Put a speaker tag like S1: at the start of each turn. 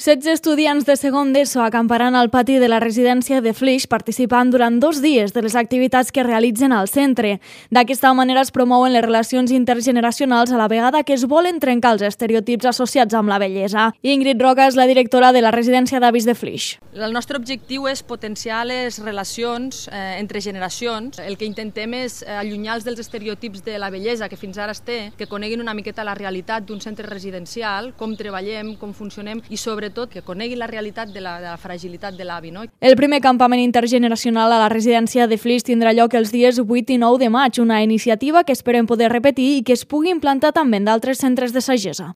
S1: 16 estudiants de segon d'ESO acamparan al pati de la residència de Flix participant durant 2 dies de les activitats que realitzen al centre. D'aquesta manera es promouen les relacions intergeneracionals a la vegada que es volen trencar els estereotips associats amb la bellesa. Ingrid Roca és la directora de la residència d'avis de Flix.
S2: El nostre objectiu és potenciar les relacions entre generacions. El que intentem és allunyar-los dels estereotips de la bellesa que fins ara es té, que coneguin una miqueta la realitat d'un centre residencial, com treballem, com funcionem i sobretot que coneguin la realitat de la fragilitat de l'avi.
S1: El primer campament intergeneracional a la residència de Flix tindrà lloc els dies 8 i 9 de maig, una iniciativa que esperem poder repetir i que es pugui implantar també en d'altres centres de sagessa.